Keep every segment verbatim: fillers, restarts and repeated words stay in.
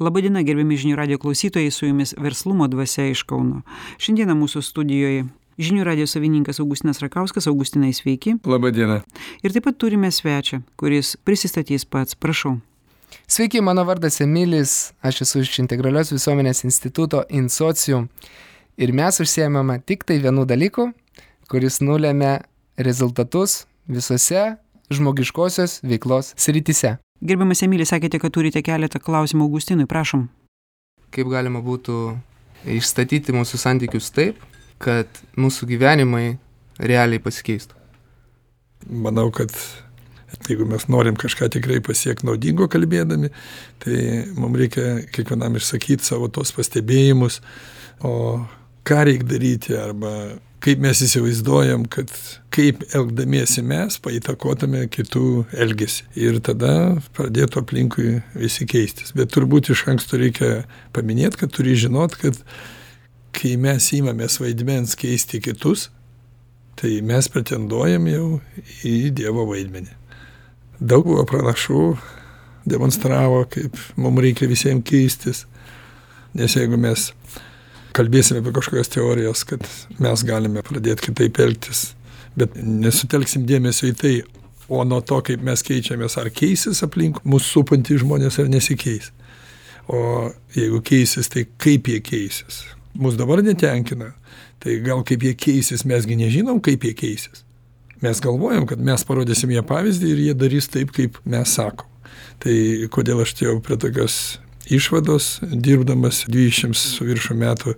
Labadiena, gerbiami žinių radijo klausytojai, su jumis Verslumo dvasia iš Kauno. Šiandieną mūsų studijoje žinių radijo savininkas Augustinas Rakauskas. Augustinai, sveiki. Labadiena. Ir taip pat turime svečią, kuris prisistatys pats. Prašau. Sveiki, mano vardas Emilis, aš esu iš Integralios visuomenės instituto InSocium ir mes užsiėmame tik tai vienu dalyku, kuris nulėmė rezultatus visose žmogiškosios veiklos srityse. Gerbiamas Emilis, sakėte, kad turite keletą klausimų Augustinui, prašom. Kaip galima būtų išstatyti mūsų santykius taip, kad mūsų gyvenimai realiai pasikeistų? Manau, kad jeigu mes norim kažką tikrai pasiekti naudingo kalbėdami, tai mums reikia kiekvienam išsakyti savo tos pastebėjimus, o ką reikia daryti arba kaip mes įsivaizduojam, kad kaip elgdamiesi mes paįtakotume kitų elgesį. Ir tada pradėtų aplinkui visi keistis. Bet turbūt iš anksto reikia paminėti, kad turi žinot, kad kai mes įmamės vaidmens keisti kitus, tai mes pretenduojam jau į Dievo vaidmenį. Daug buvo pranašų, demonstravo, kaip mums reikia visiems keistis. Nes jeigu mes kalbėsime apie kažkokias teorijas, kad mes galime pradėti kitaip elgtis, bet nesutelksim dėmesio į tai, o nuo to, kaip mes keičiamės, ar keisis aplink mūsų supantys žmonės, ar nesikeis. O jeigu keisis, tai kaip jie keisis. Mūsų dabar netenkina, tai gal kaip jie keisis, mesgi nežinom, kaip jie keisis. Mes galvojam, kad mes parodysim jie pavyzdį ir jie darys taip, kaip mes sakom. Tai kodėl aš atėjau prie tokios išvados, dirbdamas dvidešimt su viršų metų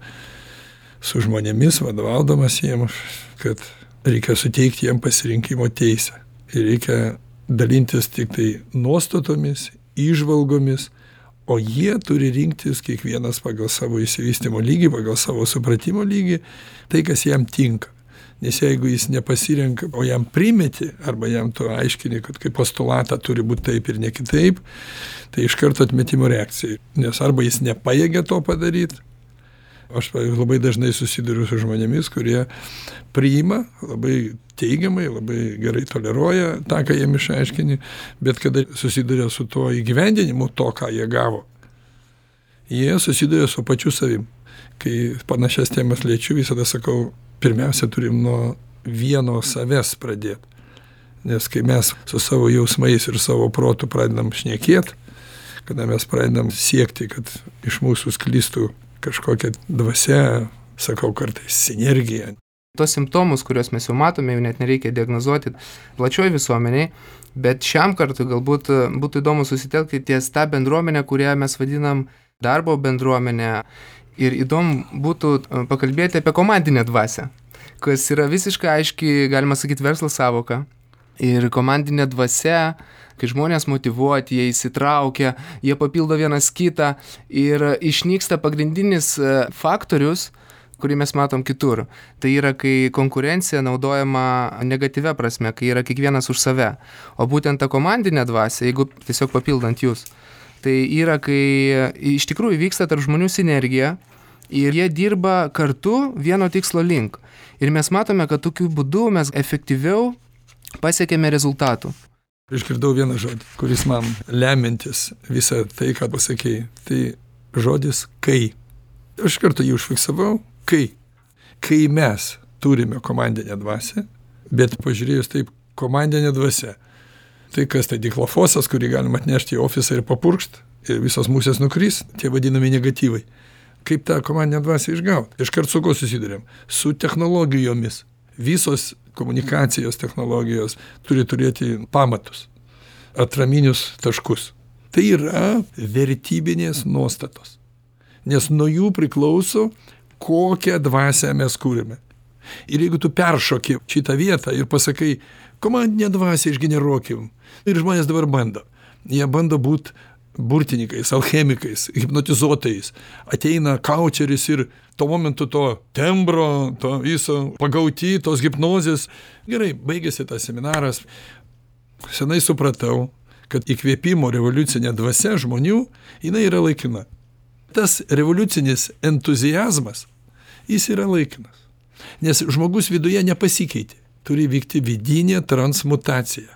su žmonėmis, vadovaudamas jiems, kad reikia suteikti jiems pasirinkimo teisę. Ir reikia dalintis tik tai nuostatomis, įžvalgomis, o jie turi rinktis kiekvienas pagal savo išsivystymo lygį, pagal savo supratimo lygį, tai, kas jam tinka. Nes jeigu jis nepasirenka, o jam primeti, arba jam tu aiškini, kad kaip postulatą turi būti taip ir ne kitaip, tai iš karto atmetimo reakcija. Nes arba jis nepajėgia to padaryti. Aš labai dažnai susiduriu su žmonėmis, kurie priima labai teigiamai, labai gerai toleruoja tą, ką jiem išaiškini, bet kada susiduria su tuo įgyvendinimu, to, ką jie gavo, jie susiduria su pačiu savim. Kai panašias temas liečiu, visada sakau, pirmiausia, turim nuo vieno savęs pradėti. Nes kai mes su savo jausmais ir savo protu pradedam šnekėti, kada mes pradedam siekti, kad iš mūsų sklistų kažkokia dvasia, sakau kartais, sinergija. Tos simptomus, kuriuos mes jau matome, jau net nereikia diagnozuoti plačioj visuomeniai, bet šiam kartui galbūt būtų įdomu susitelkti ties tą bendruomenę, kurią mes vadinam darbo bendruomenę. Ir įdomu būtų pakalbėti apie komandinę dvasią, kas yra visiškai aiški, galima sakyti, verslo sąvoka. Ir komandinė dvasia, kai žmonės motyvuoti, jie įsitraukia, jie papildo vienas kitą ir išnyksta pagrindinis faktorius, kurį mes matom kitur. Tai yra, kai konkurencija naudojama negatyvia prasme, kai yra kiekvienas už save. O būtent ta komandinė dvasia, jeigu tiesiog papildant jūs, tai yra, kai iš tikrųjų vyksta tarp žmonių sinergija ir jie dirba kartu vieno tikslo link. Ir mes matome, kad tokiu būdu mes efektyviau pasiekėme rezultatų. Išgirdau vieną žodį, kuris man lemiantis visą tai, ką pasakėjai. Tai žodis kai. Aš kartu jį užfiksavau, kai. Kai mes turime komandinę dvasią, bet pažiūrėjus taip, komandinė dvasia. Tai kas tai diklofosas, kurį galima atnešti į ofisą ir papurkšt, ir visos musės nukris, tie vadinami negatyvai. Kaip tą komandinę dvasią išgauti? Iškart su ko susidurėm? Su technologijomis. Visos komunikacijos technologijos turi turėti pamatus, atraminius taškus. Tai yra vertybinės nuostatos. Nes nuo jų priklauso, kokią dvasią mes kūrime. Ir jeigu tu peršoki šitą vietą ir pasakai, komandinę dvasią išgeneruokim. Ir žmonės dabar bando. Jie bando būti burtininkais, alchemikais, hipnotizuotojais. Ateina kaučeris ir tuo momentu to tembro, to viso pagauti, tos hipnozės. Gerai, baigėsi tas seminaras. Senai supratau, kad įkvėpimo revoliucinė dvasia žmonių, jinai yra laikina. Tas revoliucinis entuziazmas, jis yra laikinas. Nes žmogus viduje nepasikeitė. Turi vykti vidinė transmutacija.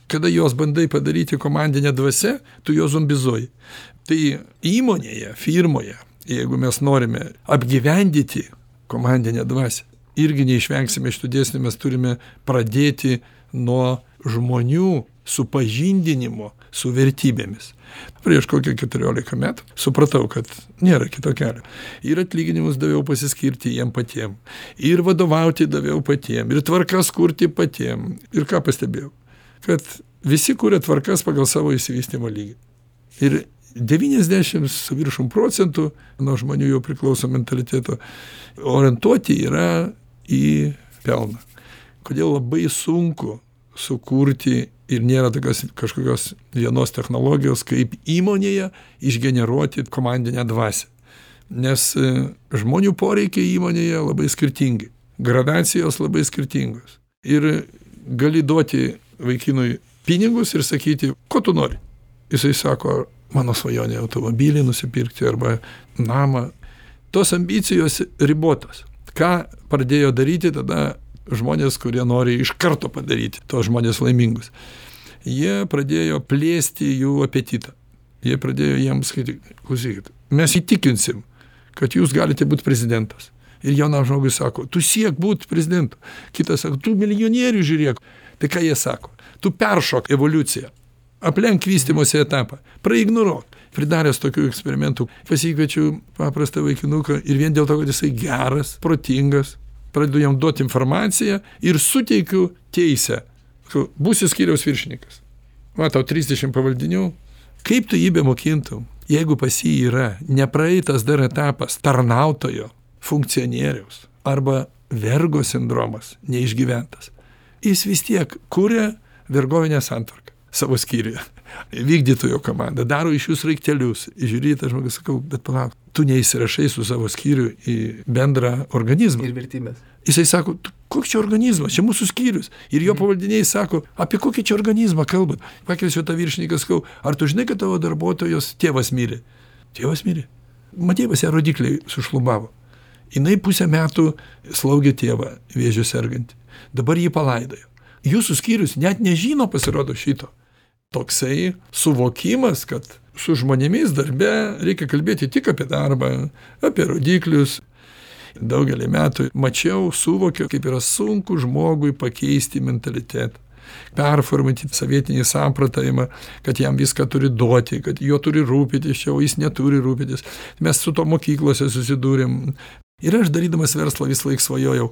Kada jos bandai padaryti komandinę dvasią, tu jo zombizuoji. Tai įmonėje, firmoje, jeigu mes norime apgyvendyti komandinę dvasią, irgi neišvengsime šitų dėsnių, mes turime pradėti nuo žmonių supažindinimo su vertybėmis. Prieš kokią keturiolika metų supratau, kad nėra kito kelio. Ir atlyginimus daviau pasiskirti jiem patiem, ir vadovauti daviau patiem, ir tvarkas kurti patiem. Ir ką pastebėjau? Kad visi kuria tvarkas pagal savo išsivystymo lygį. Ir devyniasdešimt su viršum procentų nuo žmonių jau priklauso mentaliteto orientuoti yra į pelną. Kodėl labai sunku sukurti ir nėra tokios kažkokios vienos technologijos, kaip įmonėje išgeneruoti komandinę dvasią. Nes žmonių poreikiai įmonėje labai skirtingi, gradacijos labai skirtingos. Ir gali duoti vaikinui pinigus ir sakyti, ko tu nori. Jisai sako, mano svajonė automobilį nusipirkti arba namą. Tos ambicijos ribotos. Ką pradėjo daryti tada žmonės, kurie nori iš karto padaryti tos žmonės laimingus? Jie pradėjo plėsti jų apetitą. Jie pradėjo jiems sakyti, klausykit, mes įtikinsim, kad jūs galite būti prezidentas. Ir jaunam žmogui sako, tu siek būti prezidentu. Kitas sako, tu milijonierių žiūrėk. Tai ką jie sako? Tu peršok evoliuciją. Aplenk vystymosi etapą. Praignoruok. Pridaręs tokių eksperimentų, pasikviečiu paprastą vaikinuką ir vien dėl to, kad jisai geras, protingas, pradedu jam duoti informaciją ir suteikiu teisę. Būsi skyriaus viršininkas. Matau, trisdešimt pavaldinių. Kaip tu jį bemokintum, jeigu pas jį yra nepraeitas dar etapas tarnautojo, funkcionieriaus arba vergo sindromas neišgyventas. Jis vis tiek kuria vergovinę santvarką savo skyriuje. Vykdytojo komanda, daro iš jūs raiktelius. Žiūri, tas žmogus, sakau, bet palauk, tu neįsirašai su savo skyriu į bendrą organizmą. Ir vertybės. Jisai sako, koks čia organizmas, čia mūsų skyrius. Ir jo pavaldiniai sako, apie kokį čia organizmą kalbat. Pakelsiu tą viršininką, sakau, ar tu žinai, kad tavo darbuotojos tėvas mirė? Tėvas mirė. Matei, pas ją rodikliai sušlubavo. Jinai pusę metų slaugė tėvą vėžiu sergantį. Dabar jį palaidojo. Jūsų skyrius net nežino, pasirodo, šito. Toksai suvokimas, kad su žmonėmis darbe reikia kalbėti tik apie darbą, apie rodiklius. Daugelį metų mačiau, suvokiau, kaip yra sunku žmogui pakeisti mentalitetą, performuoti savietinį sampratavimą, kad jam viską turi duoti, kad jo turi rūpytis, čia, o jis neturi rūpytis. Mes su to mokyklose susidūrėm. Ir aš darydamas verslą vis laik svajojau,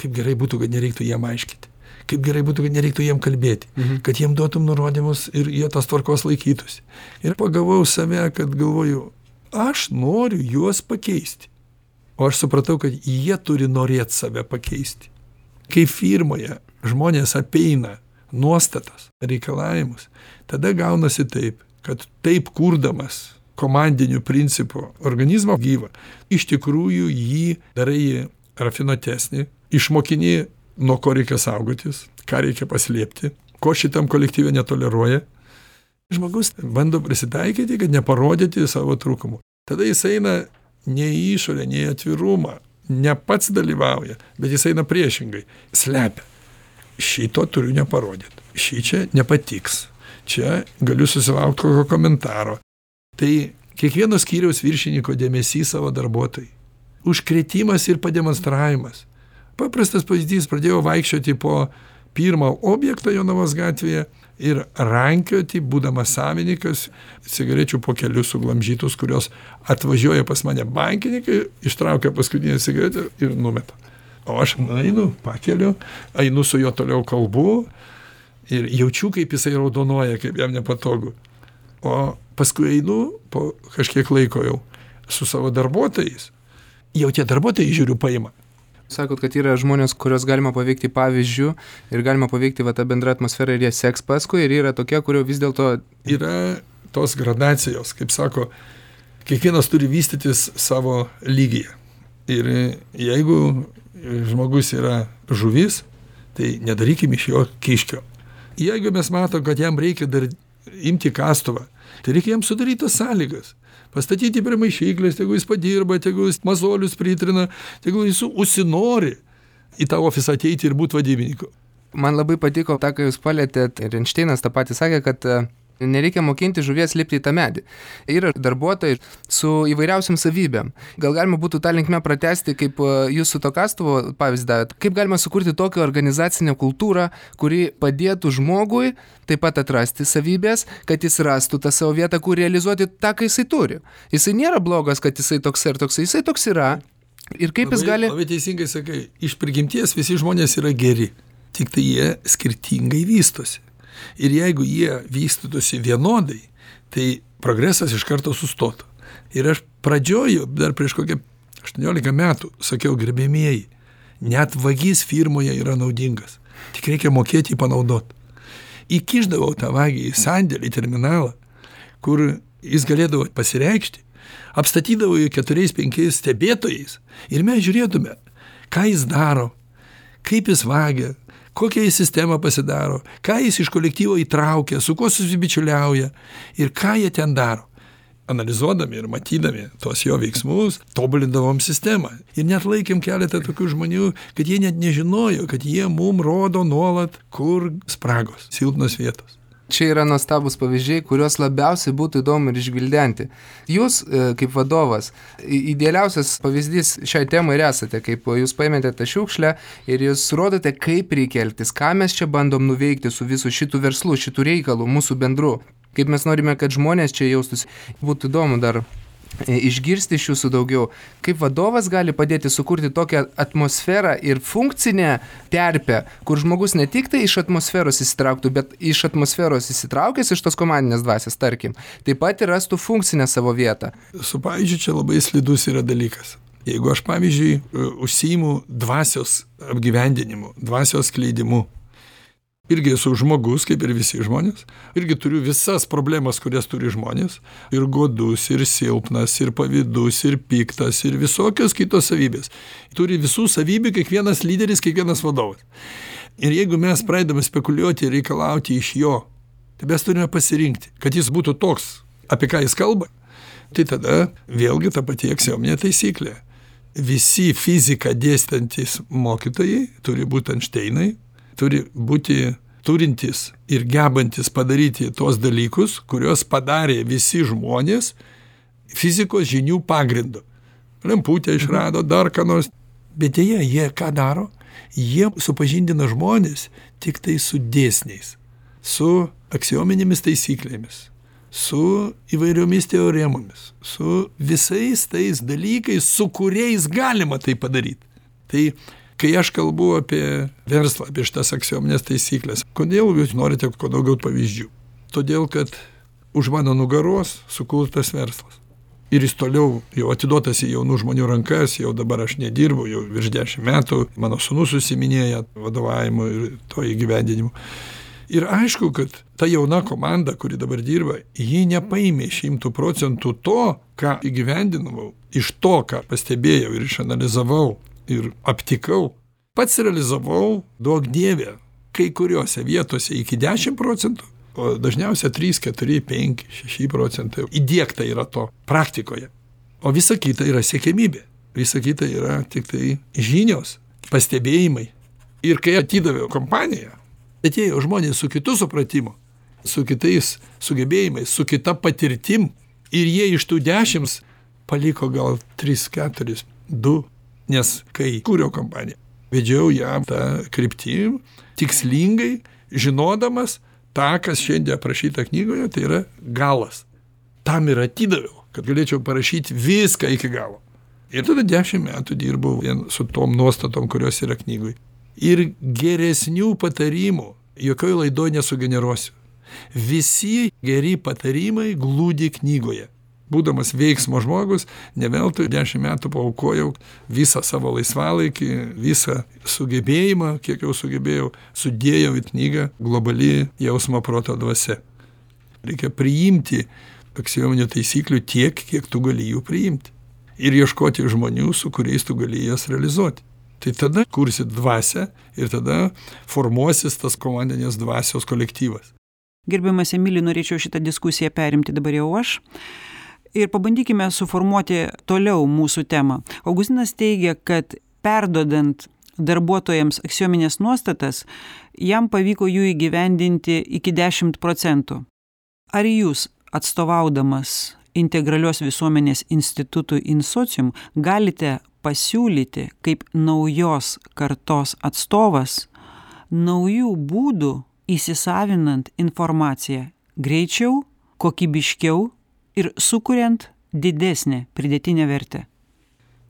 kaip gerai būtų, kad nereiktų jam aiškinti. Kaip gerai būtų, kad nereiktų jiem kalbėti, mhm. kad jiem duotum nurodymus ir jie tos tvarkos laikytųsi. Ir pagavau save, kad galvoju, aš noriu juos pakeisti. O aš supratau, kad jie turi norėti save pakeisti. Kai firmoje žmonės apeina nuostatas, reikalavimus, tada gaunasi taip, kad taip kurdamas komandiniu principu organizmą gyvą, iš tikrųjų jį darai rafinuotesnį, išmokini, nuo ko reikia saugotis, ką reikia paslėpti, ko šitam kolektyve netoleruoja. Žmogus bando prisitaikyti, kad neparodyti savo trūkumų. Tada jis eina ne į išorę, ne į atvirumą, ne pats dalyvauja, bet jis eina priešingai, slepia. Šito turiu neparodyti, šį čia nepatiks, čia galiu susilaukti kokio komentaro. Tai kiekvieno skyriaus viršininko dėmesys savo darbuotojai, užkrėtimas ir pademonstravimas. Paprastas pavyzdys, pradėjau vaikščioti po pirmą objektą Jonavos gatvėje ir rankioti, būdamas savininkas, cigarečių pokelius suglamžytus, kurios atvažiuoja pas mane bankininkai, ištraukia paskutinę cigaretę ir numeta. O aš einu, pakeliu, einu su juo toliau kalbu ir jaučiu, kaip jisai raudonuoja, kaip jam nepatogu. O paskui einu po kažkiek laiko jau su savo darbuotojais. Jau tie darbuotojai žiūriu paima. Sakot, kad yra žmonės, kurios galima paveikti pavyzdžių ir galima paveikti va, tą bendrą atmosferą ir jie seks paskui, ir yra tokie, kurio vis dėlto... Yra tos gradacijos, kaip sako, kiekvienas turi vystytis savo lygyje. Ir jeigu žmogus yra žuvis, tai nedarykim iš jo kiškio. Jeigu mes matom, kad jam reikia dar imti kastuvą, tai reikia jam sudaryti tas sąlygas. Pastatyti prie maišyklės, jeigu jis padirba, jeigu jis mazolius pritrina, jeigu jis užsinori į tą ofisą ateiti ir būti vadybininku. Man labai patiko tą, ką jūs palėtėt, ir Einšteinas tą patį sakė, kad Nereikia mokinti žuvies lipti į tą medį. Yra darbuotojai su įvairiausiam savybėm. Gal galima būtų tą linkmę pratęsti, kaip jūs su to kastuvo pavyzdį davėt. Kaip galima sukurti tokią organizacinę kultūrą, kuri padėtų žmogui taip pat atrasti savybės, kad jis rastų tą savo vietą, kur realizuoti tą, ką jisai turi. Jisai nėra blogas, kad jisai toks ir toks, jisai toks yra. Ir kaip labai, jis gali... Labai teisingai sakai, iš prigimties visi žmonės yra geri, tik tai jie skirtingai vystosi. Ir jeigu jie vystytųsi vienodai, tai progresas iš karto sustotų. Ir aš pradžioju, dar prieš kokią aštuoniolika metų, sakiau, gerbėmieji, net vagis firmoje yra naudingas, tik reikia mokėti jį panaudoti. Įkišdavau tą vagį į sandėlį, terminalą, kur jis galėdavo pasireikšti, apstatydavo jį keturiais, penkiais stebėtojais ir mes žiūrėtume, ką jis daro, kaip jis vagia, kokią jis sistemą pasidaro, ką jis iš kolektyvo įtraukia, su kuo susibičiuliauja ir ką jie ten daro. Analizuodami ir matydami tos jo veiksmus, tobulindavom sistemą. Ir net laikėm keletą tokių žmonių, kad jie net nežinojo, kad jie mum rodo nuolat, kur spragos, silpnos vietos. Čia yra nuostabus pavyzdžiai, kuriuos labiausiai būtų įdomu ir išgvildenti. Jūs, kaip vadovas, idealiausias pavyzdys šiai temai ir esate, kaip jūs paėmėte tą šiukšlę ir jūs rodote, kaip reikia elgtis, ką mes čia bandom nuveikti su visu šitų verslų, šitų reikalų, mūsų bendru. Kaip mes norime, kad žmonės čia jaustųsi. Būtų įdomu dar išgirsti iš jūsų daugiau, kaip vadovas gali padėti sukurti tokią atmosferą ir funkcinę terpę, kur žmogus ne tik tai iš atmosferos įsitrauktų, bet iš atmosferos įsitraukęs iš tos komandinės dvasios, tarkim, taip pat ir rastų funkcinę savo vietą. Su pavyzdžiui, čia labai slidus yra dalykas. Jeigu aš, pavyzdžiui, užsiimu dvasios apgyvendinimu, dvasios skleidimu, irgi esu žmogus, kaip ir visi žmonės, irgi turiu visas problemas, kurias turi žmonės, ir godus, ir silpnas, ir pavydus, ir piktas, ir visokios kitos savybės. Turi visų savybių kiekvienas lyderis, kiekvienas vadovas. Ir jeigu mes pradedame spekuliuoti ir reikalauti iš jo, tai mes turime pasirinkti, kad jis būtų toks, apie ką jis kalba, tai tada vėlgi ta pati aksiominė taisyklė. Visi fiziką dėstantis mokytojai turi būti Einšteinai, turi būti turintys ir gebantis padaryti tuos dalykus, kuriuos padarė visi žmonės fizikos žinių pagrindu. Lemputę išrado, dar ką nors. Bet jie, jie ką daro? Jie supažindina žmonės tik tai su dėsniais, su aksiominėmis taisyklėmis, su įvairiomis teoremomis, su visais tais dalykais, su kuriais galima tai padaryti. Tai kai aš kalbu apie verslą, apie šitas aksiominės taisyklės, kodėl jūs norite kuo daugiau pavyzdžių? Todėl, kad už mano nugaros sukurtas verslas. Ir jis toliau jau atiduotas į jaunų žmonių rankas, jau dabar aš nedirbu, jau virš dešimt metų, mano sūnus užsiiminėja vadovavimu ir to įgyvendinimu. Ir aišku, kad ta jauna komanda, kuri dabar dirba, ji nepaėmė šimtų procentų to, ką įgyvendinau, iš to, ką pastebėjau ir išanalizavau, ir aptikau, pats realizavau, duok dievė, kai kuriuose vietose iki dešimt procentų, o dažniausiai trys, keturi, penki, šeši procentai įdiegta yra to praktikoje. O visa kita yra siekiamybė, visa kita yra tik tai žinios, pastebėjimai. Ir kai atidaviau kompaniją, atėjo žmonės su kitu supratimu, su kitais sugebėjimais, su kita patirtim, ir jie iš tų dešimt paliko gal tris, keturis, du. Nes kai kūriau kompaniją, vedžiau ją tą kryptim, tikslingai, žinodamas tą, kas šiandien aprašyta knygoje, tai yra galas. Tam ir atidaviau, kad galėčiau parašyti viską iki galo. Ir tada dešimt metų dirbau vien su tom nuostatom, kurios yra knygoje. Ir geresnių patarimų jokioj laidoj nesugeneruosiu. Visi geri patarimai glūdi knygoje. Būdamas veiksmo žmogus, ne veltui dešimt metų paaukojau visą savo laisvalaikį, visą sugebėjimą, kiek jau sugebėjau, sudėjau į knygą Globali jausmo proto dvasia. Reikia priimti aksiominių taisyklių tiek, kiek tu gali jų priimti. Ir ieškoti žmonių, su kuriais tu gali jas realizuoti. Tai tada kursi dvasią ir tada formuosis tas komandinės dvasios kolektyvas. Gerbiamas Emili, norėčiau šitą diskusiją perimti dabar jau aš. Ir pabandykime suformuoti toliau mūsų temą. Augustinas teigia, kad perdodant darbuotojams aksiominės nuostatas, jam pavyko jų įgyvendinti iki dešimt procentų. ar jūs, atstovaudamas Integralios visuomenės institutui InSocium, galite pasiūlyti kaip naujos kartos atstovas naujų būdų įsisavinant informaciją greičiau, kokybiškiau ir sukuriant didesnę pridėtinę vertę?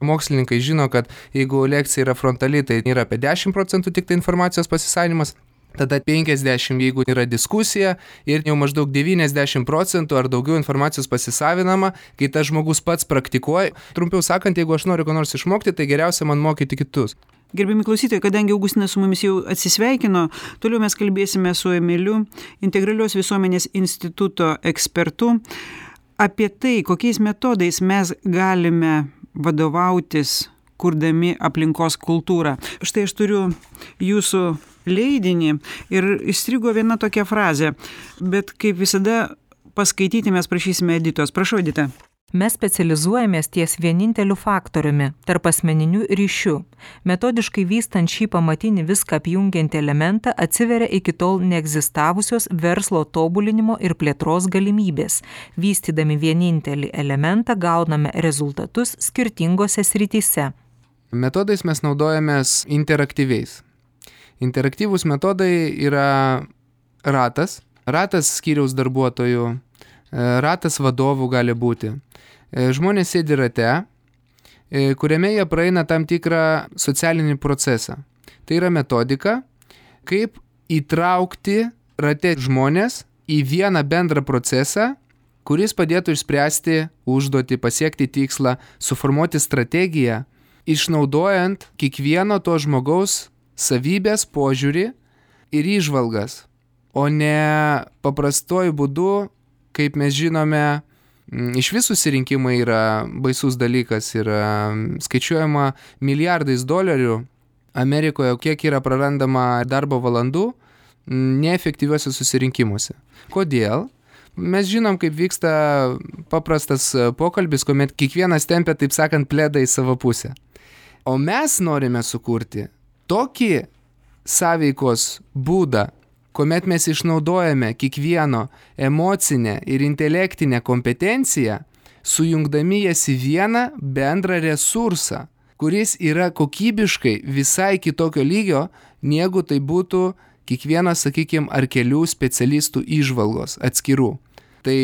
Mokslininkai žino, kad jeigu lekcija yra frontali, tai yra apie dešimt procentų tik tai informacijos pasisavinimas, tada penkiasdešimt, jeigu yra diskusija, ir jau maždaug devyniasdešimt procentų ar daugiau informacijos pasisavinama, kai tas žmogus pats praktikuoja. Trumpiau sakant, jeigu aš noriu ko nors išmokti, tai geriausia man mokyti kitus. Gerbiami klausytojai, kadangi Augustinas su mumis jau atsisveikino, toliau mes kalbėsime su Emiliu, Integralios visuomenės instituto ekspertu, apie tai, kokiais metodais mes galime vadovautis, kurdami aplinkos kultūrą. Štai aš turiu jūsų leidinį ir įstrigo viena tokia frazė, bet kaip visada paskaityti mes prašysime Editos. Prašau, Edita. Mes specializuojamės ties vieninteliu faktoriumi – tarp asmeninių ryšių. Metodiškai vystant šį pamatinį viską apjungiantį elementą atsiveria iki tol neegzistavusios verslo tobulinimo ir plėtros galimybės. Vystydami vienintelį elementą gauname rezultatus skirtingose srityse. Metodais mes naudojamės interaktyviais. Interaktyvūs metodai yra ratas, ratas skyriaus darbuotojų, ratas vadovų gali būti. Žmonės sėdi rate, kuriame jie praeina tam tikrą socialinį procesą. Tai yra metodika, kaip įtraukti rate žmonės į vieną bendrą procesą, kuris padėtų išspręsti užduotį, pasiekti tikslą, suformuoti strategiją, išnaudojant kiekvieno to žmogaus savybės, požiūrį ir įžvalgas, o ne paprastuoju būdu, kaip mes žinome, iš visų susirinkimai yra baisus dalykas, yra skaičiuojama milijardais dolerių Amerikoje, kiek yra prarandama darbo valandų neefektyviuose susirinkimuose. Kodėl? Mes žinom, kaip vyksta paprastas pokalbis, kuomet kiekvienas tempia, taip sakant, pledą į savo pusę. O mes norime sukurti tokį sąveikos būdą, kuomet mes išnaudojame kiekvieno emocinę ir intelektinę kompetenciją, sujungdami jas į vieną bendrą resursą, kuris yra kokybiškai visai kitokio lygio, negu tai būtų kiekvienas, sakykime, ar kelių specialistų įžvalgos atskirų. Tai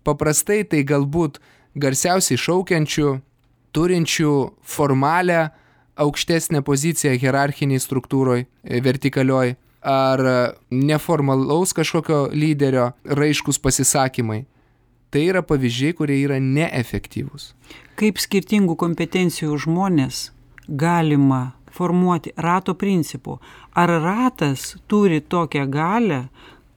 paprastai tai galbūt garsiausiai šaukiančių, turinčių formalę aukštesnę poziciją hierarchiniai struktūroj, vertikalioj, ar neformalaus kažkokio lyderio raiškus pasisakymai. Tai yra pavyzdžiai, kurie yra neefektyvūs. Kaip skirtingų kompetencijų žmonės galima formuoti rato principu? Ar ratas turi tokią galią,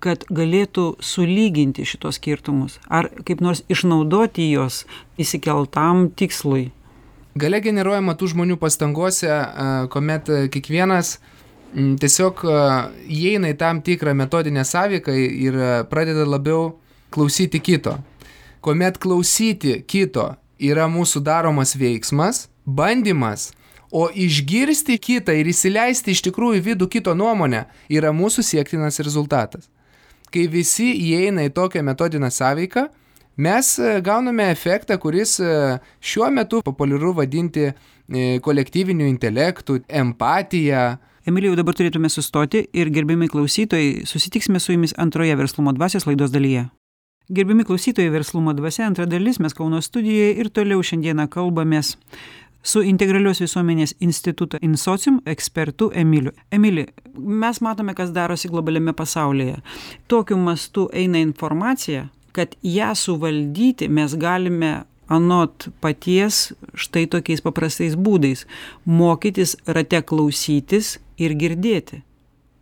kad galėtų sulyginti šitos skirtumus? Ar kaip nors išnaudoti jos įsikeltam tikslui? Galia generuojama tų žmonių pastangose, kuomet kiekvienas tiesiog įeina į tam tikrą metodinę sąveiką ir pradeda labiau klausyti kito. Kuomet klausyti kito yra mūsų daromas veiksmas, bandymas, o išgirsti kitą ir įsileisti iš tikrųjų į vidų kito nuomonę yra mūsų siektinas rezultatas. Kai visi įeina į tokią metodinę sąveiką, mes gauname efektą, kuris šiuo metu populiaru vadinti kolektyviniu intelektu, empatija. Emilijau, dabar turėtume sustoti ir gerbiami klausytojai, susitiksime su jumis antroje Verslumo dvasios laidos dalyje. Gerbiami klausytojai, Verslumo dvasia, antra dalis, mes Kauno studijoje ir toliau šiandieną kalbamės su Integralios visuomenės instituto InSocium ekspertu Emiliu. Emili, mes matome, kas darosi globaliame pasaulyje. Tokiu mastu eina informacija, kad ją suvaldyti mes galime anot paties štai tokiais paprastais būdais – mokytis rate klausytis ir girdėti.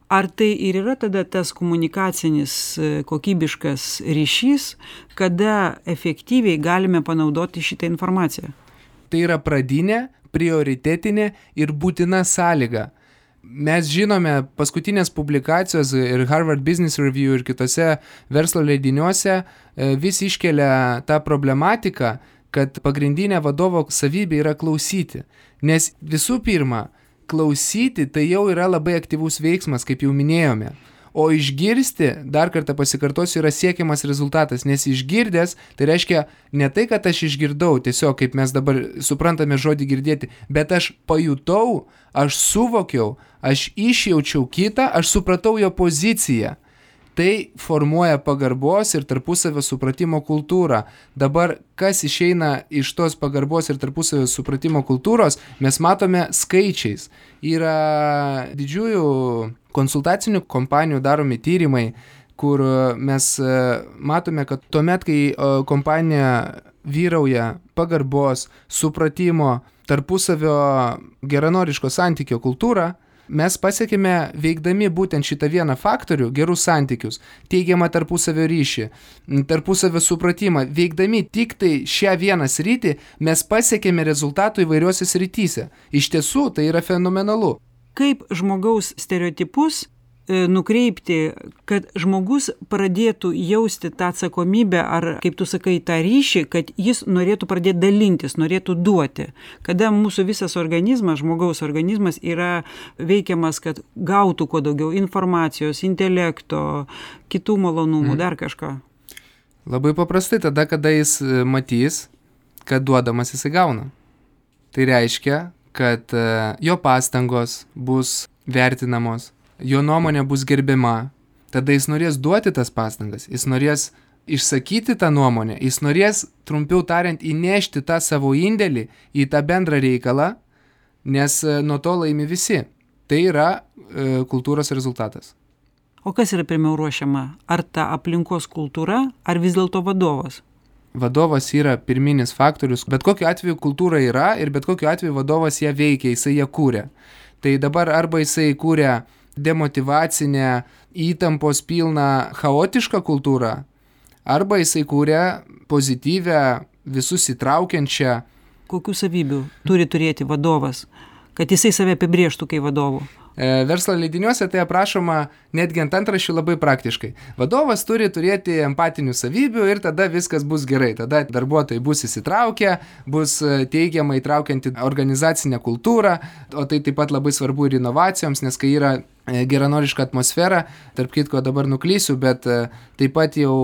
Ar tai ir yra tada tas komunikacinis kokybiškas ryšys, kada efektyviai galime panaudoti šitą informaciją? Tai yra pradinė, prioritetinė ir būtina sąlyga. Mes žinome, paskutinės publikacijos ir Harvard Business Review ir kitose verslo leidiniuose vis iškelia tą problematiką, kad pagrindinė vadovo savybė yra klausyti. Nes visų pirma, klausyti tai jau yra labai aktyvus veiksmas, kaip jau minėjome. O išgirsti, dar kartą pasikartosiu, yra siekiamas rezultatas, nes išgirdęs, tai reiškia ne tai, kad aš išgirdau, tiesiog kaip mes dabar suprantame žodį girdėti, bet aš pajutau, aš suvokiau, aš išjaučiau kitą, aš supratau jo poziciją. Tai formuoja pagarbos ir tarpusavio supratimo kultūrą. Dabar, kas išeina iš tos pagarbos ir tarpusavio supratimo kultūros, mes matome skaičiais. Yra didžiųjų konsultacinių kompanijų daromi tyrimai, kur mes matome, kad tuomet, kai kompanija vyrauja pagarbos, supratimo, tarpusavio geranoriško santykio kultūrą, mes pasiekime veikdami būtent šitą vieną faktorių, gerus santykius, teigiamą tarpusavio ryšį, tarpusavio supratimą, veikdami tik tai šią vieną sritį, mes pasiekėme rezultatų įvairiuose srityse. Iš tiesų, tai yra fenomenalu. Kaip žmogaus stereotipus nukreipti, kad žmogus pradėtų jausti tą atsakomybę ar, kaip tu sakai, tą ryšį, kad jis norėtų pradėti dalintis, norėtų duoti. Kada mūsų visas organizmas, žmogaus organizmas yra veikiamas, kad gautų kuo daugiau informacijos, intelekto, kitų malonumų, mm. dar kažką. Labai paprastai tada, kada jis matys, kad duodamas jis gauna. Tai reiškia, kad jo pastangos bus vertinamos, jo nuomonė bus gerbiama, tada jis norės duoti tas pastangas, jis norės išsakyti tą nuomonę, jis norės, trumpiau tariant, įnešti tą savo indėlį į tą bendrą reikalą, nes nuo to laimi visi. Tai yra e, kultūros rezultatas. O kas yra pirmiau ruošiama? Ar ta aplinkos kultūra, ar vis dėlto vadovas? Vadovas yra pirminis faktorius, bet kokiu atveju kultūra yra ir bet kokiu atveju vadovas ją veikia, jisai ją kūrė. Tai dabar arba jisai kūrė demotyvacinę, įtampos pilną, chaotišką kultūrą, arba jisai kūrė pozityvę, visus įtraukiančią. Kokių savybių turi turėti vadovas, kad jisai save apibrėžtų kaip vadovų? E, verslo leidiniuose tai aprašoma netgi ant antraščių labai praktiškai. Vadovas turi turėti empatinių savybių ir tada viskas bus gerai. Tada darbuotojai bus įsitraukę, bus teigiamai įtraukianti organizacinę kultūrą, o tai taip pat labai svarbu ir inovacijoms, nes kai yra geranoriška atmosfera, tarp kitko dabar nuklysiu, bet taip pat jau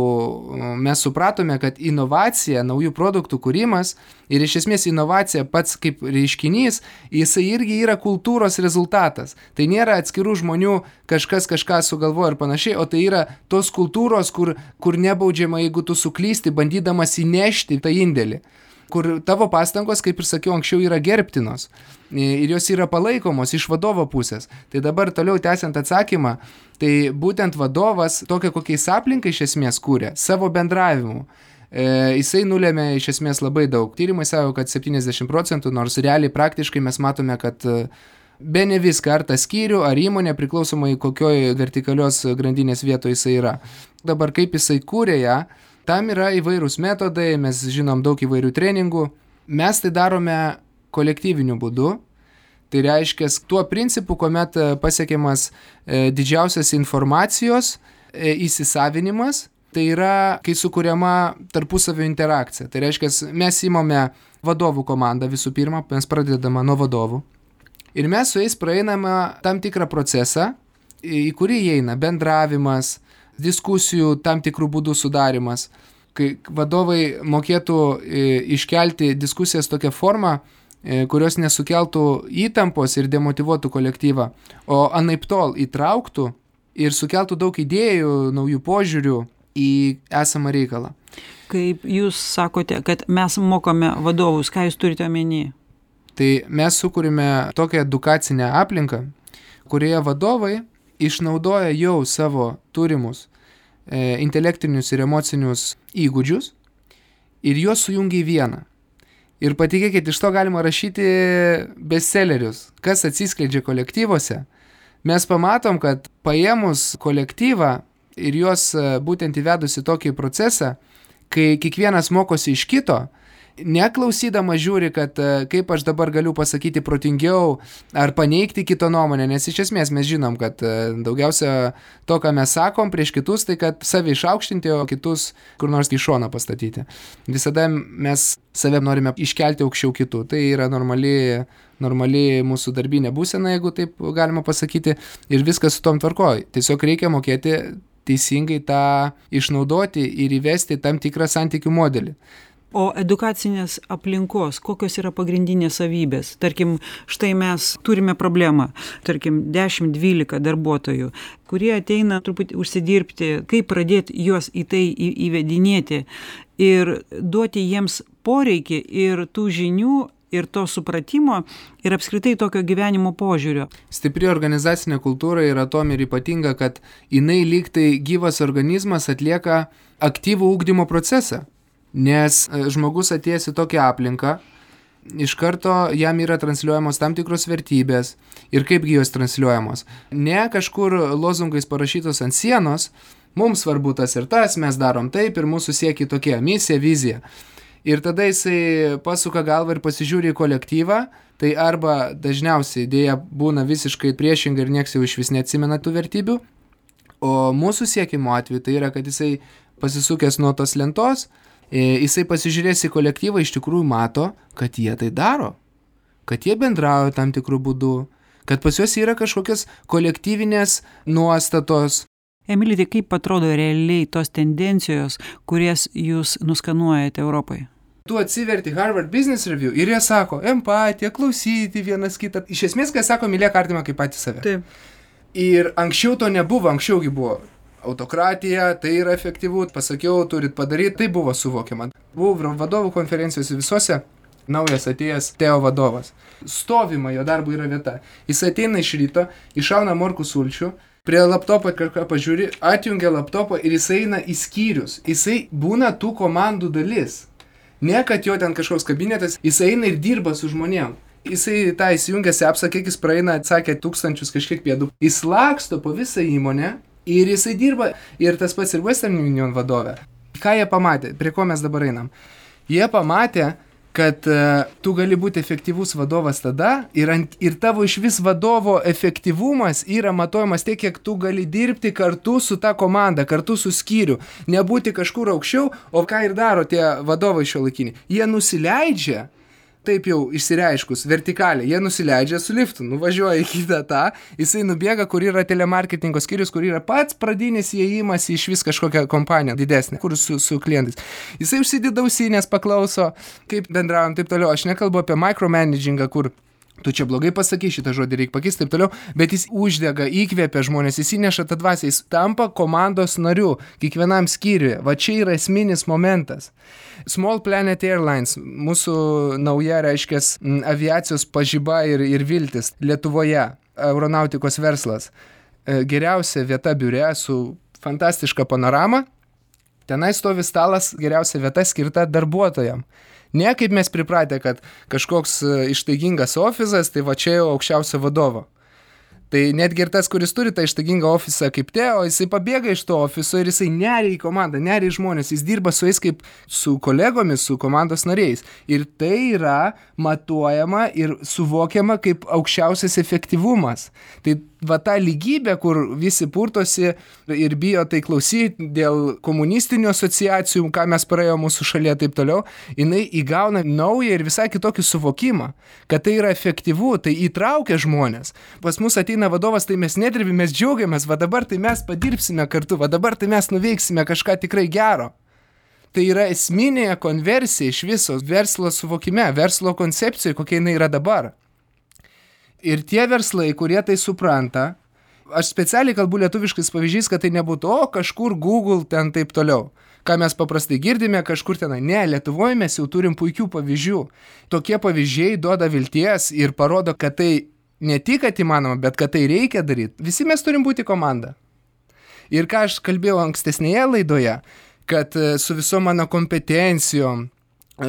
mes supratome, kad inovacija, naujų produktų kūrimas ir iš esmės inovacija pats kaip reiškinys, jisai irgi yra kultūros rezultatas. Tai nėra atskirų žmonių kažkas kažką sugalvoja ir panašiai, o tai yra tos kultūros, kur, kur nebaudžiama, jeigu tu suklysti, bandydamas įnešti tą indėlį, kur tavo pastangos, kaip ir sakiau anksčiau, yra gerbtinos ir jos yra palaikomos iš vadovo pusės. Tai dabar toliau tęsiant atsakymą, tai būtent vadovas tokią kokiais aplinką iš esmės kūrė, savo bendravimu. E, jisai nulėmė iš esmės labai daug. Tyrimai sako, kad septyniasdešimt procentų, nors realiai praktiškai mes matome, kad be ne viską, ar tą skyrių, ar įmonė, priklausomai kokioj vertikalios grandinės vietoje jisai yra. Dabar kaip jisai kūrė ją, tam yra įvairūs metodai, mes žinom daug įvairių treningų. Mes tai darome kolektyviniu būdu. Tai reiškia tuo principu, kuomet pasiekiamas e, didžiausias informacijos e, įsisavinimas, tai yra, kai sukuriama tarpusavio interakcija. Tai reiškia, mes įmame vadovų komandą visų pirma, mes pradedame nuo vadovų. Ir mes su jais praeiname tam tikrą procesą, į kurį įeina bendravimas, diskusijų tam tikrų būdų sudarimas, kai vadovai mokėtų iškelti diskusijas tokią formą, kurios nesukeltų įtampos ir demotyvuotų kolektyvą, o anaiptol įtrauktų ir sukeltų daug idėjų, naujų požiūrių į esamą reikalą. Kaip jūs sakote, kad mes mokome vadovus, ką jūs turite omeny? Tai mes sukūrime tokią edukacinę aplinką, kurioje vadovai išnaudoja jau savo turimus e, intelektinius ir emocinius įgūdžius ir juos sujungia į vieną. Ir patikėkit, iš to galima rašyti bestsellerius, kas atsiskleidžia kolektyvuose. Mes pamatom, kad paėmus kolektyvą ir juos būtent įvedus į tokį procesą, kai kiekvienas mokosi iš kito, Neklausydama žiūri, kad kaip aš dabar galiu pasakyti protingiau ar paneigti kito nuomonę, nes iš esmės mes žinom, kad daugiausia to, ką mes sakom prieš kitus, tai kad save išaukštinti, o kitus kur nors į šoną pastatyti. Visada mes save norime iškelti aukščiau kitų. Tai yra normali, normali mūsų darbinė būsena, jeigu taip galima pasakyti, ir viskas su tom tvarkoj. Tiesiog reikia mokėti teisingai tą išnaudoti ir įvesti tam tikrą santykių modelį. O edukacinės aplinkos, kokios yra pagrindinės savybės? Tarkim, štai mes turime problemą, tarkim, dešimt dvylika darbuotojų, kurie ateina truputį užsidirbti, kaip pradėti juos į tai įvedinėti ir duoti jiems poreikį ir tų žinių, ir to supratimo, ir apskritai tokio gyvenimo požiūrio. Stipri organizacinė kultūra yra tom ir ypatinga, kad jinai lyg tai gyvas organizmas atlieka aktyvų ugdymo procesą. Nes žmogus atėjęs į tokią aplinką, iš karto jam yra transliuojamos tam tikros vertybės ir kaipgi jos transliuojamos. Ne kažkur lozungais parašytos ant sienos, mums svarbu tas ir tas, mes darom taip ir mūsų siekia tokia misija, vizija. Ir tada jisai pasuka galvą ir pasižiūri į kolektyvą, tai arba dažniausiai idėja būna visiškai priešinga ir nieks jau iš vis neatsimena tų vertybių, o mūsų siekimo atveju tai yra, kad jisai pasisukęs nuo tos lentos, jisai pasižiūrės į kolektyvą, iš tikrųjų mato, kad jie tai daro, kad jie bendrauja tam tikrų būdų, kad pas juos yra kažkokios kolektyvinės nuostatos. Emili, tai kaip atrodo realiai tos tendencijos, kurias jūs nuskanuojate Europoje? Tu atsiverti Harvard Business Review ir jie sako, empatija, klausyti vienas kitą. Iš esmės, kai sako, mylėk artimą kaip patį save. Taip. Ir anksčiau to nebuvo, anksčiaugi buvo. Autokratija, tai yra efektyvu, pasakiau, turit padaryti, tai buvo suvokiama. Buvau vadovų konferencijose visose, naujas atėjęs Teo vadovas. Stovima, jo darbo yra vieta. Jis ateina iš ryto, išauna morkų sulčių, prie laptopo kažką pažiūri, atjungia laptopą ir jis eina į skyrius. Jisai būna tų komandų dalis. Ne, kad jo ten kažkoks kabinetas, jis eina ir dirba su žmonėm. Jisai tą įsijungia sepsą, kiek jis praeina, atsakė tūkstančius kažkiek pėdų. Jis laksto po visą įmonę. Ir jisai dirba, ir tas pats ir Western Union vadovė. Ką jie pamatė, prie ko mes dabar einam? Jie pamatė, kad uh, tu gali būti efektyvus vadovas tada ir, ant, ir tavo iš vis vadovo efektyvumas yra matuojamas tiek, kiek tu gali dirbti kartu su ta komanda, kartu su skyriu. Nebūti kažkur aukščiau, o ką ir daro tie vadovai šiuolaikiniai. Jie nusileidžia, taip jau išsireiškus, vertikaliai, jie nusileidžia su liftu, nuvažiuoja į kitą tą, jisai nubėga, kur yra telemarketingo skyrius, kur yra pats pradinis įėjimas į iš vis kažkokią kompaniją didesnę, kur su, su klientais. Jisai užsideda ausinės, paklauso, kaip bendraujam, taip toliau. Aš nekalbu apie micromanagingą, kur tu čia blogai pasakai, šitą žodį reikia pakeisti, taip toliau, bet jis uždega, įkvėpia žmonės, jis įneša tą dvasią, jis tampa komandos nariu, kiekvienam skyriuje. Va čia yra esminis momentas. Small Planet Airlines, mūsų nauja, reiškia, aviacijos pažyba ir, ir viltis Lietuvoje, aeronautikos verslas. Geriausia vieta biure su fantastiška panorama, tenai stovi stalas, geriausia vieta skirta darbuotojam. Ne kaip mes pripratę, kad kažkoks ištaigingas ofisas, tai va čia jau aukščiausio vadovo. Tai netgi ir tas, kuris turi tą ištaigingą ofisą kaip Teo, jisai pabėga iš to ofiso ir jisai neria į komandą, neria į žmonės, jis dirba su jais kaip su kolegomis, su komandos nariais. Ir tai yra matuojama ir suvokiama kaip aukščiausias efektyvumas. Tai va ta lygybė, kur visi purtosi ir bijo tai klausyti dėl komunistinių asociacijų, ką mes praėjo mūsų šalyje taip toliau, jinai įgauna naują ir visai kitokį suvokimą, kad tai yra efektyvu, tai įtraukia žmonės. Pas mus ateina vadovas, tai mes nedirbime, mes džiaugiamės, va dabar tai mes padirbsime kartu, va dabar tai mes nuveiksime kažką tikrai gero. Tai yra esminė konversija iš viso verslo suvokime, verslo koncepcijoje, kokia jinai yra dabar. Ir tie verslai, kurie tai supranta, aš specialiai kalbu lietuviškais pavyzdžiais, kad tai nebūtų, o kažkur Google ten taip toliau. Ką mes paprastai girdime, kažkur tenai. Ne, Lietuvoje mes jau turim puikių pavyzdžių. Tokie pavyzdžiai duoda vilties ir parodo, kad tai ne tik kad įmanoma, bet kad tai reikia daryti. Visi mes turim būti komanda. Ir ką aš kalbėjau ankstesnėje laidoje, kad su visom mano kompetencijom,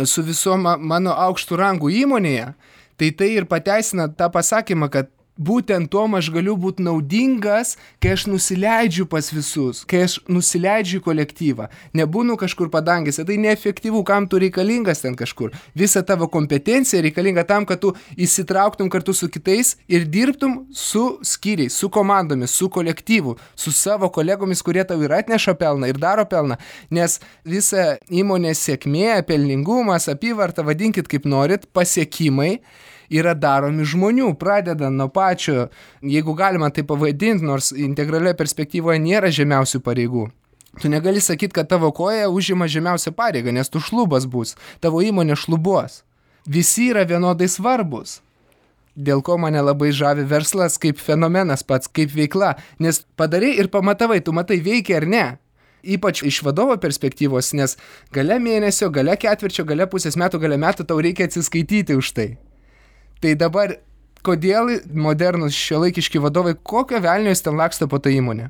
su visom mano aukštų rangų įmonėje, tai tai ir pateisina tą pasakymą, kad būtent tom aš galiu būti naudingas, kai aš nusileidžiu pas visus, kai aš nusileidžiu į kolektyvą. Nebūnu kažkur padangėse, tai neefektyvu, kam tu reikalingas ten kažkur. Visa tavo kompetencija reikalinga tam, kad tu įsitrauktum kartu su kitais ir dirbtum su skyriais, su komandomis, su kolektyvu, su savo kolegomis, kurie tau ir atneša pelną, ir daro pelną. Nes visa įmonės sėkmė, pelningumas, apyvarta, vadinkit kaip norit, pasiekimai, yra daromi žmonių, pradedant nuo pačio, jeigu galima tai pavadinti, nors integralioje perspektyvoje nėra žemiausių pareigų. Tu negali sakyti, kad tavo koja užima žemiausią pareigą, nes tu šlubas bus, tavo įmonė šlubuos. Visi yra vienodai svarbus. Dėl ko mane labai žavi verslas kaip fenomenas pats, kaip veikla, nes padarai ir pamatavai, tu matai veikia ar ne. Ypač iš vadovo perspektyvos, nes gale mėnesio, gale ketvirčio, gale pusės metų, gale metų tau reikia atsiskaityti už tai. Tai dabar, kodėl modernus šiuolaikiški vadovai, kokio velnio jis ten laksto po tą įmonę?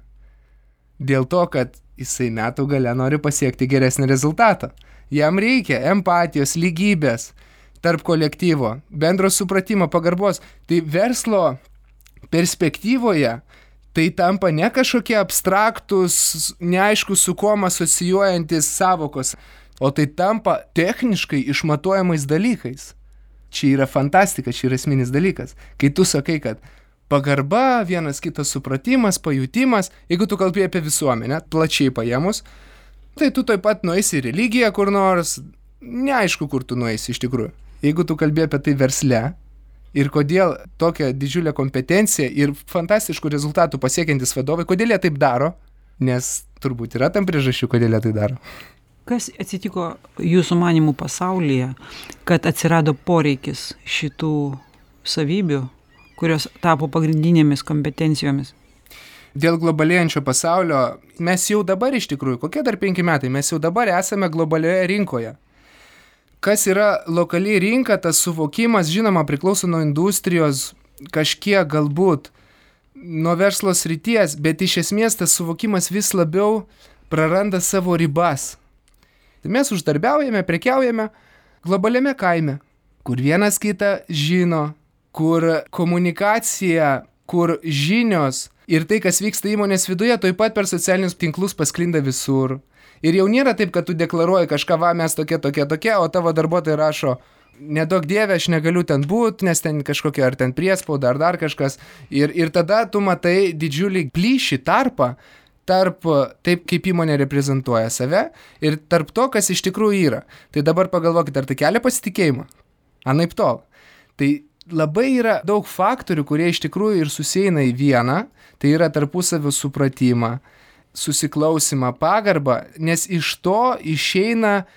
Dėl to, kad jisai metų gale nori pasiekti geresnį rezultatą. Jam reikia empatijos, lygybės tarp kolektyvo, bendro supratimo, pagarbos. Tai verslo perspektyvoje tai tampa ne kažkokie abstraktus, neaišku su kuom asocijuojantis savokos, o tai tampa techniškai išmatuojamais dalykais. Čia yra fantastika, čia yra esminis dalykas. Kai tu sakai, kad pagarba, vienas kitas supratimas, pajutimas, jeigu tu kalbėjai apie visuomenę, plačiai paėmus, tai tu taip pat nueisi į religiją kur nors, neaišku, kur tu nueisi iš tikrųjų. Jeigu tu kalbėjai apie tai versle ir kodėl tokia didžiulė kompetencija ir fantastiškų rezultatų pasiekiantis vadovai, kodėl jie taip daro, nes turbūt yra tam priežasčių, kodėl jie tai daro. Kas atsitiko jūsų manimų pasaulyje, kad atsirado poreikis šitų savybių, kurios tapo pagrindinėmis kompetencijomis? Dėl globalėjančio pasaulio mes jau dabar iš tikrųjų, kokie dar penki metai, mes jau dabar esame globalioje rinkoje. Kas yra lokali rinka, tas suvokimas, žinoma, priklauso nuo industrijos, kažkiek galbūt nuo verslo srities, bet iš esmės tas suvokimas vis labiau praranda savo ribas. Mes uždarbiaujame, prekiaujame globaliame kaime, kur vienas kitą žino, kur komunikacija, kur žinios ir tai, kas vyksta įmonės viduje, taip pat per socialinius tinklus pasklinda visur. Ir jau nėra taip, kad tu deklaruoji kažką, va, mes tokie, tokie, tokie, o tavo darbuotojai rašo, nedaug dievė, aš negaliu ten būti, nes ten kažkokia ar ten priespauda, ar dar kažkas. Ir, ir tada tu matai didžiulį plyšį tarpą, tarp taip, kaip įmonė reprezentuoja save ir tarp to, kas iš tikrųjų yra. Tai dabar pagalvokit, ar tai kelia pasitikėjimą? Anaip tol. Tai labai yra daug faktorių, kurie iš tikrųjų ir susieina į vieną, tai yra tarpusavio supratimą, susiklausimą, pagarbą, nes iš to išeina,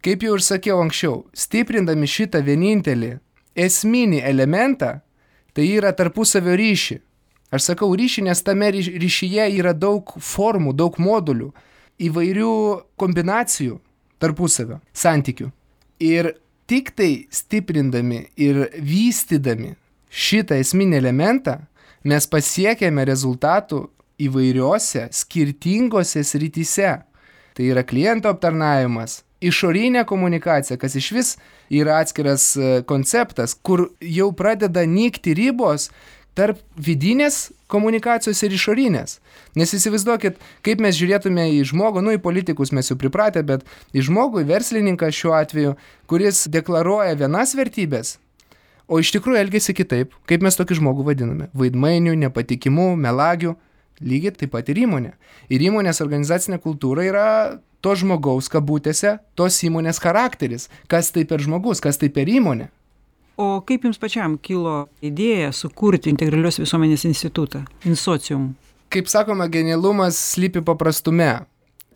kaip jau ir sakiau anksčiau, stiprindami šitą vienintelį esminį elementą, tai yra tarpusavio ryšį. Aš sakau ryšį, nes tame ryšyje yra daug formų, daug modulių, įvairių kombinacijų tarpusavio santykių. Ir tik tai stiprindami ir vystydami šitą esminį elementą, mes pasiekėme rezultatų įvairiose, skirtingose srityse. Tai yra kliento aptarnavimas, išorinė komunikacija, kas iš vis yra atskiras konceptas, kur jau pradeda nykti ribos tarp vidinės komunikacijos ir išorinės. Nes įsivaizduokit, kaip mes žiūrėtume į žmogų, nu į politikus mes jau pripratę, bet į žmogų, į verslininką šiuo atveju, kuris deklaruoja vienas vertybės, o iš tikrųjų elgesi kitaip, kaip mes tokį žmogų vadiname. Vaidmainių, nepatikimų, melagių, lygiai taip pat ir įmonė. Ir įmonės organizacinė kultūra yra to žmogaus kabutėse, tos įmonės charakteris. Kas tai per žmogus, kas tai per įmonė. O kaip jums pačiam kilo idėja sukurti integralios visuomenės institutą, Insocium? Kaip sakoma, genialumas slypi paprastume.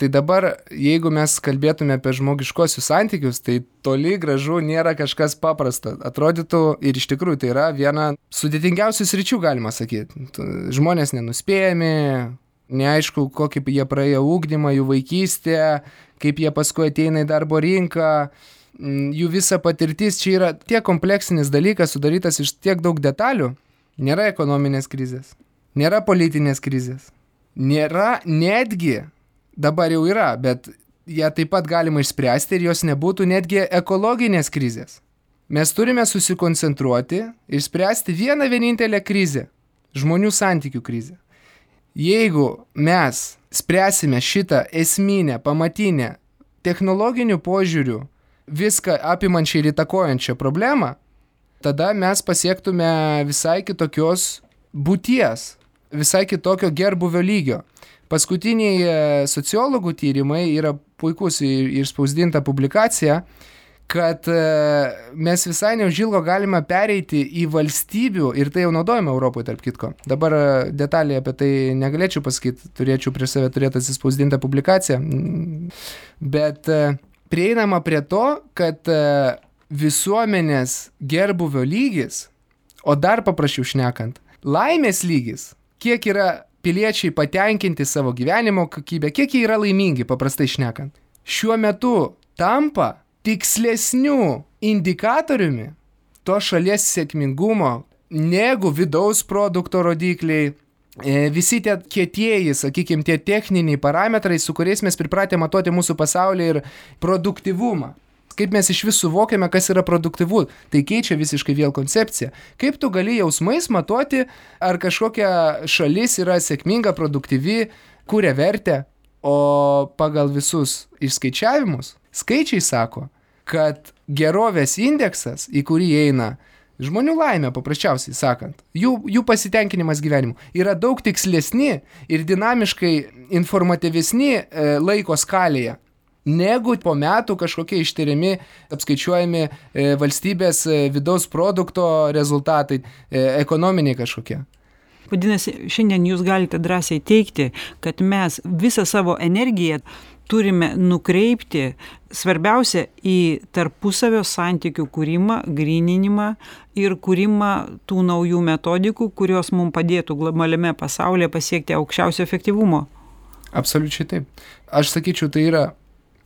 Tai dabar, jeigu mes kalbėtume apie žmogiškosius santykius, tai toli gražu nėra kažkas paprasta. Atrodytų ir iš tikrųjų tai yra viena sudėtingiausių sričių, galima sakyti. Žmonės nenuspėjami, neaišku, kokį jie praėjo ugdymą, jų vaikystė, kaip jie paskui ateina į darbo rinką. Jų visa patirtis čia yra tiek kompleksinis dalykas, sudarytas iš tiek daug detalių. Nėra ekonominės krizės, nėra politinės krizės, nėra netgi, dabar jau yra, bet ją taip pat galima išspręsti ir jos nebūtų netgi ekologinės krizės. Mes turime susikoncentruoti ir spręsti vieną vienintelę krizę. žmonių santykių krizė. Jeigu mes spręsime šitą esminę, pamatinę, technologinių požiūrių viską apimančią ir įtakojančią problemą, tada mes pasiektume visai kitokios būties, visai kitokio gerbuvio lygio. Paskutiniai sociologų tyrimai yra puikus ir spausdinta publikacija, kad mes visai neužilgo galime pereiti į valstybių, ir tai jau naudojame Europoje tarp kitko. Dabar detaliai apie tai negalėčiau pasakyti, turėčiau prieš save turėti atsispausdintą publikaciją, bet prieinama prie to, kad visuomenės gerbuvio lygis, o dar paprasčiau šnekant, laimės lygis, kiek yra piliečiai patenkinti savo gyvenimo kokybę, kiek jie yra laimingi, paprastai šnekant, šiuo metu tampa tikslesnių indikatoriumi to šalies sėkmingumo negu vidaus produkto rodikliai, visi tie kietieji, sakykime, tie techniniai parametrai, su kuriais mes pripratę matuoti mūsų pasaulį ir produktyvumą. Kaip mes iš vis suvokiame, kas yra produktyvu, tai keičia visiškai vėl koncepciją. Kaip tu gali jausmais matuoti, ar kažkokia šalis yra sėkminga, produktyvi, kuria vertę, o pagal visus išskaičiavimus, skaičiai sako, kad gerovės indeksas, į kurį eina žmonių laimė, paprasčiausiai sakant, jų, jų pasitenkinimas gyvenimu, yra daug tikslesni ir dinamiškai informatyvesni e, laiko skalėje, negu po metų kažkokie ištiriami, apskaičiuojami e, valstybės e, vidaus produkto rezultatai, e, ekonominiai kažkokie. Vadinasi, šiandien jūs galite drąsiai teigti, kad mes visą savo energiją turime nukreipti svarbiausia į tarpusavio santykių kūrimą, gryninimą ir kūrimą tų naujų metodikų, kurios mums padėtų globaliame pasaulyje pasiekti aukščiausio efektyvumo. Absoliučiai taip. Aš sakyčiau, tai yra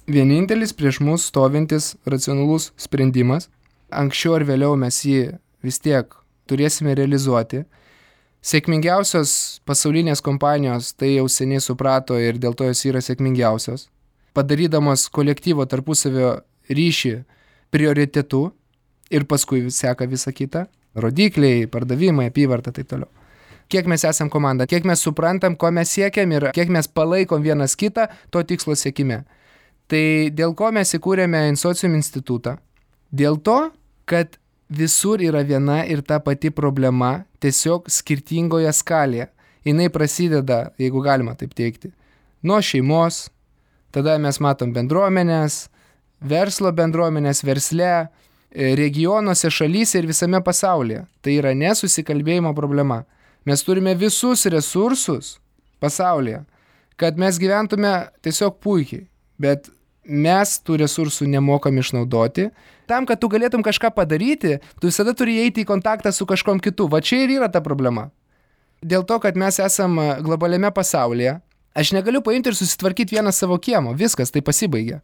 vienintelis prieš mus stovintis racionalus sprendimas. Anksčiau ar vėliau mes jį vis tiek turėsime realizuoti. Sėkmingiausios pasaulinės kompanijos tai jau seniai suprato ir dėl to jos yra sėkmingiausios, padarydamos kolektyvo tarpusavio ryšį prioritetu ir paskui seka visa kita, rodikliai, pardavimai, apyvarta, taip toliau. Kiek mes esam komanda, kiek mes suprantam, ko mes siekiam ir kiek mes palaikom vienas kitą to tikslo siekime. Tai dėl ko mes įkūrėme Insocium institutą? Dėl to, kad visur yra viena ir ta pati problema, tiesiog skirtingoje skalėje. Jinai prasideda, jeigu galima taip teikti, nuo šeimos, tada mes matom bendruomenės, verslo bendruomenės, versle, regionuose, šalyse ir visame pasaulyje. Tai yra nesusikalbėjimo problema. Mes turime visus resursus pasaulyje, kad mes gyventume tiesiog puikiai, bet mes tų resursų nemokam išnaudoti. Tam, kad tu galėtum kažką padaryti, tu visada turi eiti į kontaktą su kažkom kitu. Va čia ir yra ta problema. Dėl to, kad mes esam globaliame pasaulyje, aš negaliu paimti ir susitvarkyti vieną savo kiemo. Viskas, tai pasibaigia.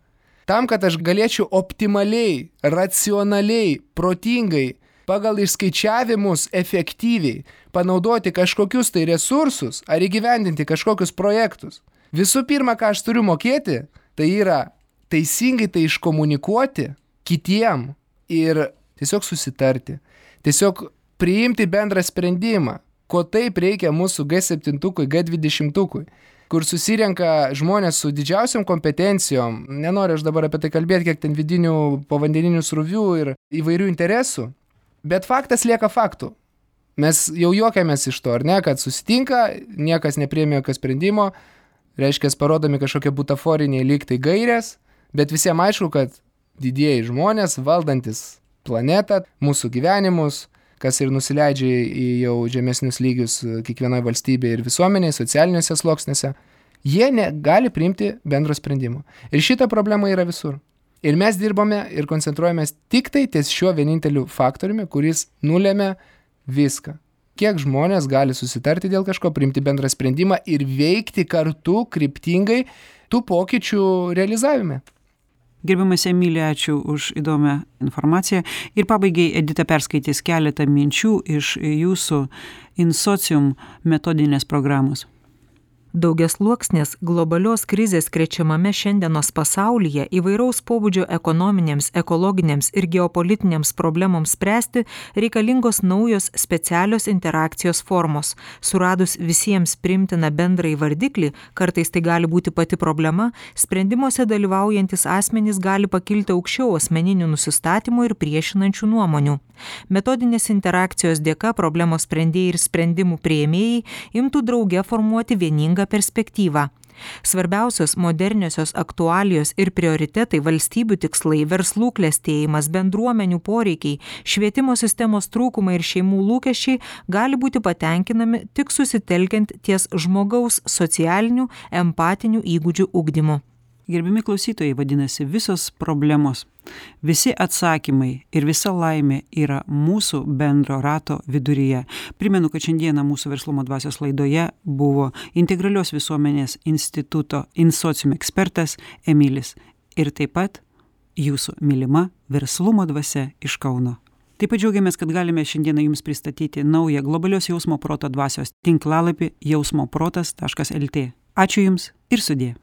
Tam, kad aš galėčiau optimaliai, racionaliai, protingai, pagal išskaičiavimus efektyviai panaudoti kažkokius tai resursus ar įgyvendinti kažkokius projektus. Visų pirma, ką aš turiu mokėti, tai yra teisingai tai iškomunikuoti kitiem ir tiesiog susitarti. Tiesiog priimti bendrą sprendimą, ko taip reikia mūsų G septyniukui, G dvidešimtukui, kur susirenka žmonės su didžiausiom kompetencijom. Nenoriu aš dabar apie tai kalbėti, kiek ten vidinių povandeninių srovių ir įvairių interesų. Bet faktas lieka faktu. Mes jau juokiamės iš to, ar ne, kad susitinka, niekas nepriėmė jokio sprendimo, reiškia, parodomi kažkokie butaforiniai lygtai gairės, bet visiems aišku, kad didieji žmonės, valdantis planetą, mūsų gyvenimus, kas ir nusileidžia į jau žemesnius lygius kiekvienoje valstybėje ir visuomenėje, socialiniuose sluoksniuose, jie negali priimti bendro sprendimo. Ir šita problema yra visur. Ir mes dirbame ir koncentruojamės tik tai ties šiuo vieninteliu faktoriumi, kuris nulėmė viską. Kiek žmonės gali susitarti dėl kažko, priimti bendrą sprendimą ir veikti kartu kryptingai tų pokyčių realizavime. Gerbiamas Emilija, ačiū už įdomią informaciją. Ir pabaigai Edita perskaitys keletą minčių iš jūsų Insocium metodinės programos. Daugiasluoksnės globalios krizės krečiamame šiandienos pasaulyje įvairaus pobūdžio ekonominėms, ekologinėms ir geopolitinėms problemoms spręsti reikalingos naujos specialios interakcijos formos. Suradus visiems priimtiną bendrąjį vardiklį, kartais tai gali būti pati problema, sprendimuose dalyvaujantis asmenys gali pakilti aukščiau asmeninių nusistatymų ir priešinančių nuomonių. Metodinės interakcijos dėka problemos sprendėjai ir sprendimų priėmėjai imtų drauge formuoti vieningą perspektyvą. Svarbiausios moderniosios aktualijos ir prioritetai, valstybių tikslai, verslų klestėjimas, bendruomenių poreikiai, švietimo sistemos trūkumai ir šeimų lūkesčiai gali būti patenkinami tik susitelkiant ties žmogaus socialinių, empatinių įgūdžių ugdymu. Gerbiami klausytojai, vadinasi, visos problemos, visi atsakymai ir visa laimė yra mūsų bendro rato viduryje. Primenu, kad šiandieną mūsų Verslumo dvasios laidoje buvo Integralios visuomenės instituto InSocium ekspertas Emilis ir taip pat jūsų mylima Verslumo dvasia iš Kauno. Taip pat džiaugiamės, kad galime šiandieną jums pristatyti naują globalios jausmo proto dvasios tinklalapį jausmoprotas taškas lt. Ačiū jums ir sudie.